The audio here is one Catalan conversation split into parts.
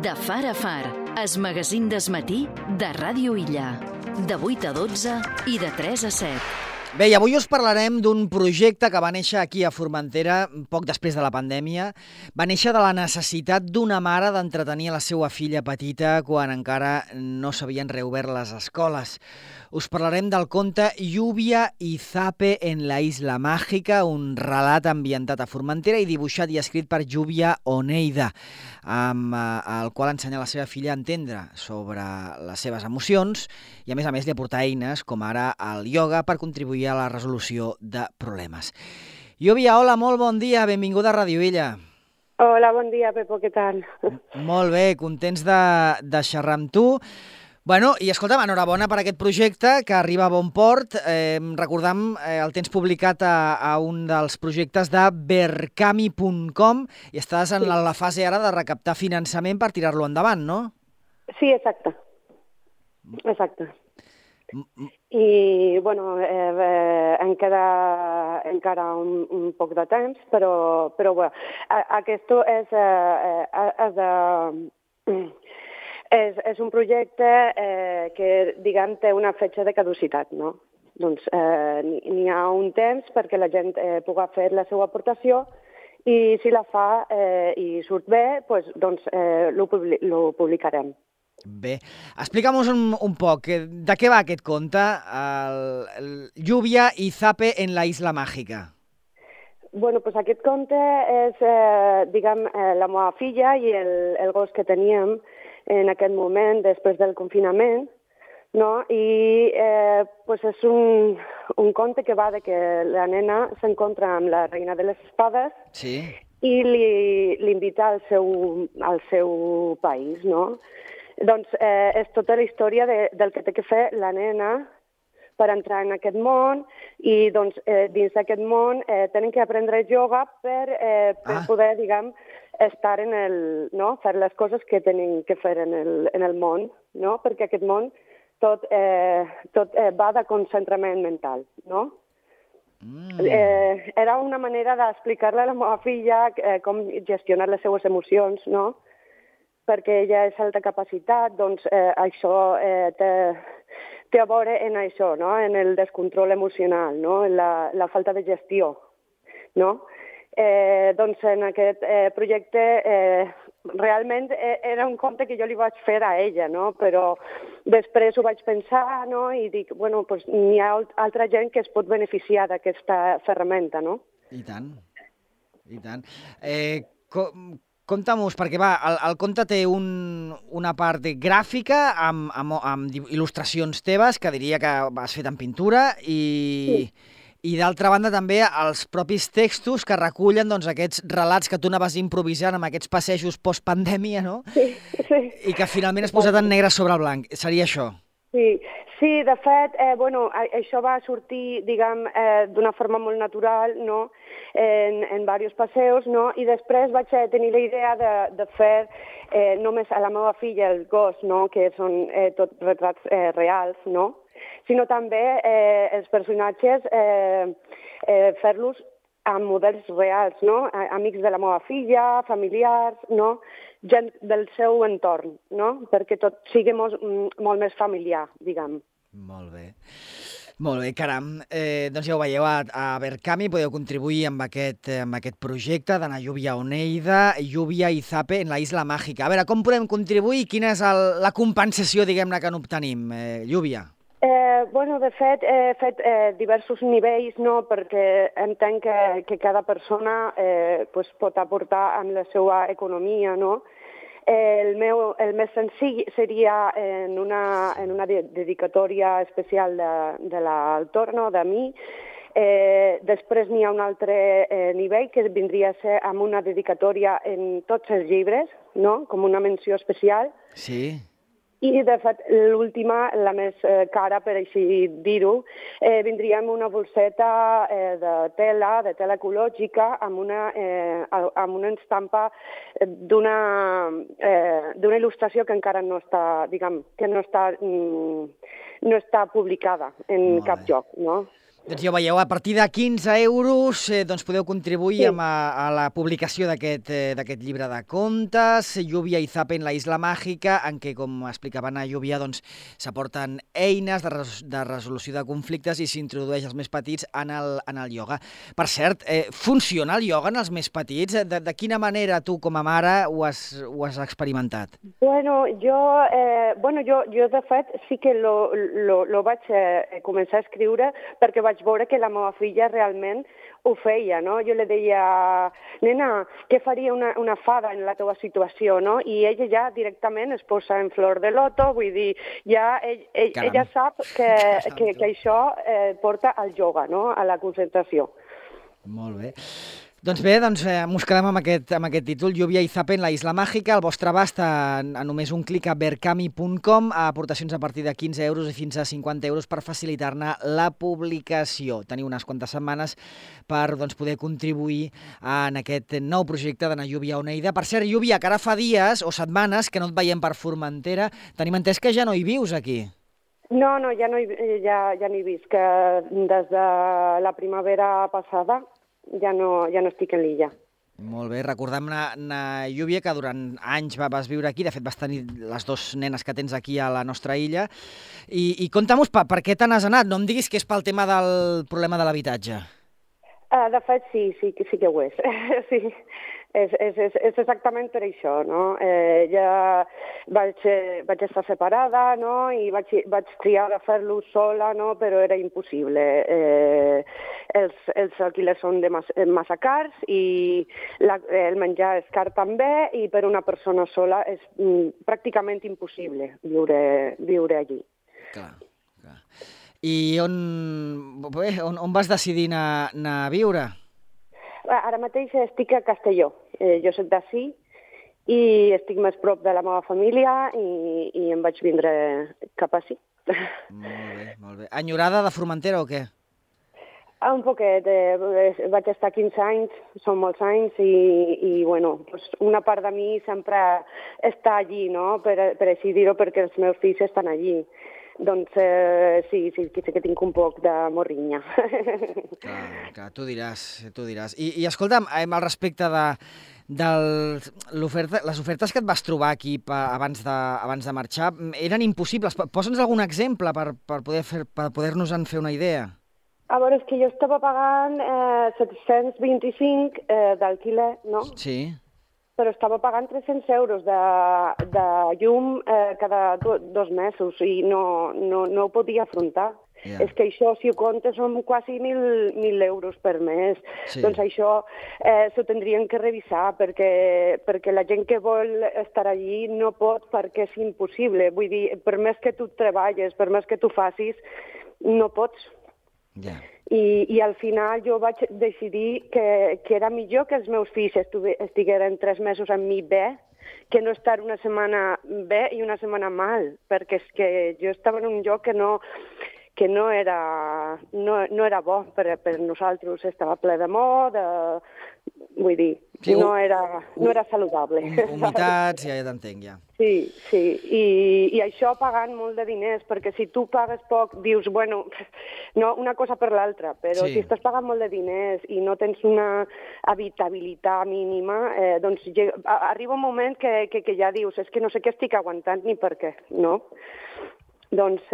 De far a far, es magazín d'esmatí de Ràdio Illa. De 8 a 12 i de 3 a 7. Bé, i avui us parlarem d'un projecte que va néixer aquí a Formentera poc després de la pandèmia. Va néixer de la necessitat d'una mare d'entretenir la seva filla petita quan encara no s'havien reobert les escoles. Us parlarem del conte Lluvia y Zape en la Isla Mágica, un relat ambientat a Formentera i dibuixat i escrit per Lluvia Oneida, amb el qual ensenya a la seva filla a entendre sobre les seves emocions i, a més, li aporta eines com ara el ioga per contribuir a la resolució de problemes. Lluvia, hola, molt bon dia, benvinguda a Ràdio Illa. Hola, bon dia, Pepo, què tal? Molt bé, contents de xerrar amb tu. Bueno, i escolta'm, enhorabona per aquest projecte que arriba a bon port. Recordam, el tens publicat a un dels projectes de berkami.com i estàs en la fase ara de recaptar finançament per tirar-lo endavant, no? Sí, exacte. I, bueno, em queda encara un poc de temps, però bueno, aquest és un projecte que, diguem, té una fetge de caducitat, no? Doncs n'hi ha un temps perquè la gent pugui fer la seva aportació i si la fa i surt bé, doncs lo publicarem. Bé, explica'm-nos un poc, de què va aquest conte, Lluvia y Zape en la Isla Mágica? Bueno, pues aquest conte és, diguem, la meva filla i el gos que teníem en aquest moment, després del confinament, no? I pues és un conte que va de que la nena s'encontra amb la reina de les espades, sí, i l'invita al seu país, no? Doncs és tota la història del que té que fer la nena per entrar en aquest món i doncs, dins d'aquest món tenen que aprendre ioga per poder, diguem, estar no? Fer les coses que tenen que fer en el món, no? Perquè aquest món tot va de concentrament mental, no? Era una manera d'explicar-li a la meva filla com gestionar les seues emocions, no? Perquè ella és alta capacitat, doncs això té a veure en això, no? En el descontrol emocional, no? En la falta de gestió, no? Doncs en aquest projecte realment era un conte que jo li vaig fer a ella, no? Però després ho vaig pensar, no? I dic, bueno, doncs n'hi ha altra gent que es pot beneficiar d'aquesta ferramenta, no? I tant, i tant. Compta-mos, perquè el conte té una part gràfica amb il·lustracions teves, que diria que has fet en pintura, i d'altra banda també els propis textos que recullen doncs, aquests relats que tu anaves improvisant amb aquests passejos post-pandèmia, no? Sí. I que finalment has posat en negre sobre blanc. Seria això? Sí, de fet, bueno, això va sortir, diguem, d'una forma molt natural, no?, en diversos passeos, no?, i després vaig tenir la idea de fer només a la meva filla, el gos, no?, que són tot retrats reals, no?, sinó també els personatges fer-los amb models reals, no?, amics de la meva filla, familiars, no?, gent del seu entorn, no?, perquè tot sigui molt més familiar, diguem. Molt bé, caram. Doncs ja ho veieu, a Berkami podeu contribuir amb aquest projecte d'Anna Lluvia Oneida, Lluvia y Zape en la Isla Mágica. A veure, com podem contribuir? Quina és la compensació, diguem-ne, que n'obtenim, Lluvia? Bueno, de fet, he fet diversos nivells, no?, perquè entenc que cada persona pot aportar amb la seva economia, no? El més senzill seria en una dedicatòria especial de l'autor, no?, de mi. Després n'hi ha un altre nivell que vindria a ser amb una dedicatòria en tots els llibres, no?, com una menció especial. Sí. I, de fet, l'última, la més cara, per així dir-ho, vindria amb una bolseta de tela ecològica, amb una estampa d'una il·lustració que encara no està, diguem, que no està publicada en cap lloc, no? Doncs ja ho veieu, a partir de 15 euros doncs podeu contribuir a la publicació d'aquest llibre de contes, Lluvia i Zapen, la Isla Màgica, en què, com explicava Anna Lluvia, doncs s'aporten eines de resolució de conflictes i s'introdueix els més petits en el ioga. Per cert, funciona el ioga en els més petits? De quina manera tu, com a mare, ho has experimentat? Bueno, jo de fet sí que lo vaig començar a escriure perquè vaig veure que la meva filla realment ho feia, no? Jo li deia, nena, què faria una fada en la teva situació, no? I ella ja directament es posa en flor de loto, vull dir, ja ella sap que això porta al ioga, no? A la concentració. Molt bé. Doncs bé, mos quedem amb aquest títol, Lluvia i Zapen, la Isla Màgica. El vostre abast a només un clic a berkami.com, aportacions a partir de 15 euros i fins a 50 euros per facilitar-ne la publicació. Teniu unes quantes setmanes per poder contribuir en aquest nou projecte d'Anna Lluvia Oneida. Per cert, Lluvia, que ara fa dies o setmanes que no et veiem per Formentera, tenim entès que ja no hi vius aquí. No, ja no hi visc, que des de la primavera passada ja no estic en l'illa. Molt bé, recordem, Lluvia, que durant anys vas viure aquí, de fet vas tenir les dues nenes que tens aquí a la nostra illa, i conta'm per què te n'has anat, no em diguis que és pel tema del problema de l'habitatge. De fet, sí que ho és. Sí, és exactament per això, no? Ja vaig estar separada, no? I vaig triar de fer-lo sola, no? Però era impossible. Els alquilers són massa cars i el menjar és car també, i per una persona sola és pràcticament impossible viure allí. Clar. I on vas decidir anar a viure? Ara mateix estic a Castelló. Jo soc d'ací i estic més prop de la meva família i em vaig vindre cap ací. Molt bé. Enyorada de Formentera o què? Un poquet. Vaig estar 15 anys, són molts anys, i bueno, una part de mi sempre està allí, no? Per així dir-ho, perquè els meus fills estan allí. Doncs sí que tinc un poc de morrinya. Clar, tu diràs. I escolta'm, al respecte de les ofertes que et vas trobar aquí abans de marxar, eren impossibles. Posa'ns algun exemple per poder-nos-en fer una idea. A veure, és que jo estava pagant 725 d'alquiler, no? Sí. Però estava pagant 300 euros de llum cada 2 mesos i no ho podia afrontar. Yeah. És que això, si ho comptes, són quasi 1.000 euros per mes. Sí. Doncs això s'ho tindrien que revisar perquè la gent que vol estar allí no pot, perquè és impossible. Vull dir, per més que tu treballes, per més que tu facis, no pots. Yeah. I al final jo vaig decidir que era millor que els meus fills estigueren 3 mesos amb mi bé, que no estar una setmana bé i una setmana mal, perquè és que jo estava en un lloc que no era bo per nosaltres, estava ple de mort, vull dir, sí, no era saludable. Humitats, ja t'entenc, ja. Sí, i això pagant molt de diners, perquè si tu pagues poc, dius, bueno, no, una cosa per l'altra, però si estàs pagant molt de diners i no tens una habitabilitat mínima, doncs arriba un moment que ja dius, és que no sé què estic aguantant ni per què, no? Doncs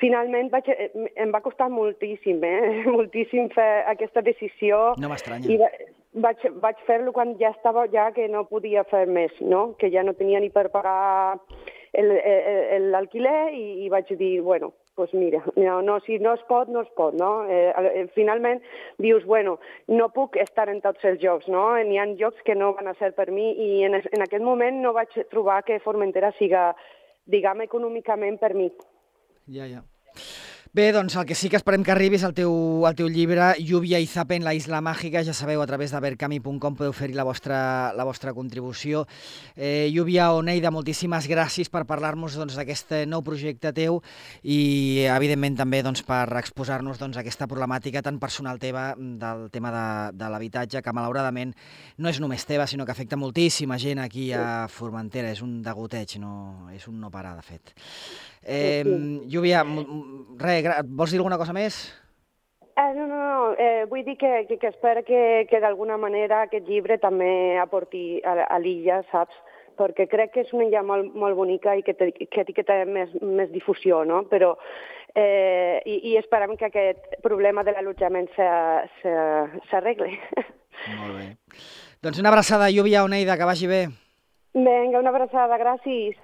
finalment em va costar moltíssim, moltíssim fer aquesta decisió. No m'estranya. I vaig fer-lo quan ja estava que no podia fer més, no? Que ja no tenia ni per pagar l'alquiler i vaig dir, bueno, doncs mira, si no es pot, no es pot, no? Finalment dius, bueno, no puc estar en tots els llocs, no? N'hi ha llocs que no van a ser per mi i en aquest moment no vaig trobar que Formentera siga, diguem, econòmicament per mi. Ja. Bé, doncs el que sí que esperem que arribi és el teu llibre Lluvia i Zapen, la Isla Màgica. Ja sabeu, a través de berkami.com podeu fer-hi la vostra contribució. Lluvia Oneida, moltíssimes gràcies per parlar-nos d'aquest nou projecte teu i, evidentment, també per exposar-nos aquesta problemàtica tan personal teva del tema de l'habitatge, que malauradament no és només teva, sinó que afecta moltíssima gent aquí a Formentera. És un degoteig, és un no parar, de fet. Lluvia, vols dir alguna cosa més? No, vull dir que espero que d'alguna manera aquest llibre també aporti a l'illa, saps? Perquè crec que és una illa molt bonica i que té més difusió, no? Però i esperem que aquest problema de l'allotjament s'arregle. Molt bé. Doncs una abraçada, Lluvia Oneida, que vagi bé. Vinga, una abraçada, gràcies.